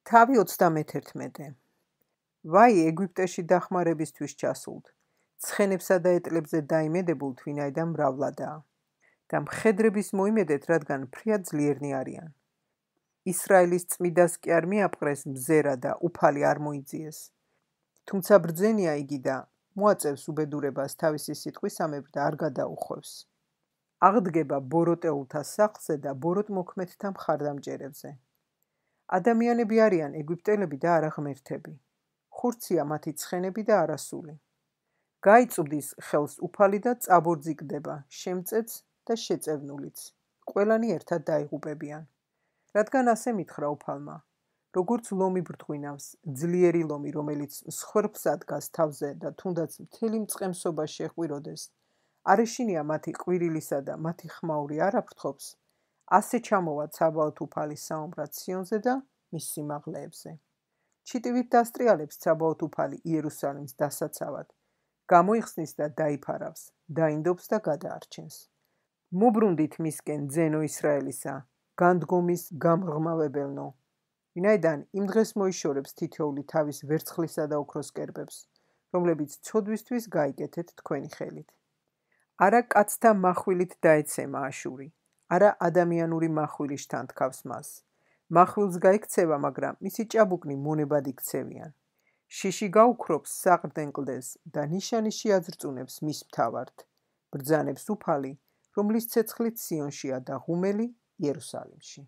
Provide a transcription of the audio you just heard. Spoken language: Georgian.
თავი 31. ვაი ეგვიპტეში დახმარებისთვის ჩასულთ, ცხენებსა და ეტლებზე დაიმედებულთ, ვინაიდან მრავლადაა. და მხედრების მოიმედეთ, რადგან ფრიად ძლიერნი არიან. ისრაელის წმიდას კი არ მიაპყრეს მზერა და უფალი არ მოიძიეს. თუმცა ბრძენია იგი და მოაწევს უბედურებას თავისი სიტყვისამებრ და არ გადაუხვევს. აღდგება ბოროტეულთა სახლზე და ბოროტმოქმედთა მხარდამჭერებზე. ადამიანები არიან ეგვიპტელები და არა ღმერთები. ხურცია მათი ცხენები და არასული. გაიწვდის ხელს უფალი და წაბორძიგდება, შემწეც და შეწევნულიც. ყველანი ერთად დაიღუპებიან. რადგან ასე მითხრა უფალმა, როგორც ლომი ბრდღვინავს, ძლიერი ლომი, რომელიც მსხვერპლს ადგას თავზე და თუნდაც მთელი მწყემსობა შეჰყვიროდეს, არ ეშინია მათი ყვირილისა და მათი ხმაური არ აფრთხობს, ასე ჩამოვა ცაბაოთ უფალის საომრად სიონზე და მის სიმაღლეებზე. ჩიტივით დასტრიალებს ცაბაოთ უფალი იერუსალიმს დასაცავად, გამოიხსნის და დაიფარავს, დაინდობს და გადაარჩენს. მობრუნდით მისკენ ძენო ისრაელისა, განდგომის გამღრმავებელნო, ვინაიდან იმ დღეს მოიშორებს თითოეული თავის ვერცხლისა და ოქროს კერპებს, რომლებიც ცოდვისთვის გაიკეთეთ თქვენი ხელით. არა კაცთა מחვილით დაეცემა აშური, არა ადამიანური מחვილი შთანთქავს მას. מחვილს გაიქცევა, მაგრამ მისი ჭაბუკნი მონებად იქცევიან. შიში გაუქრობს საყრდენ კლდეს და ნიშანი შეაძრწუნებს მის მთავართ. ბრძანებს უფალი, რომლის ცეცხლით სიონშია და ღუმელი იერუსალიმში.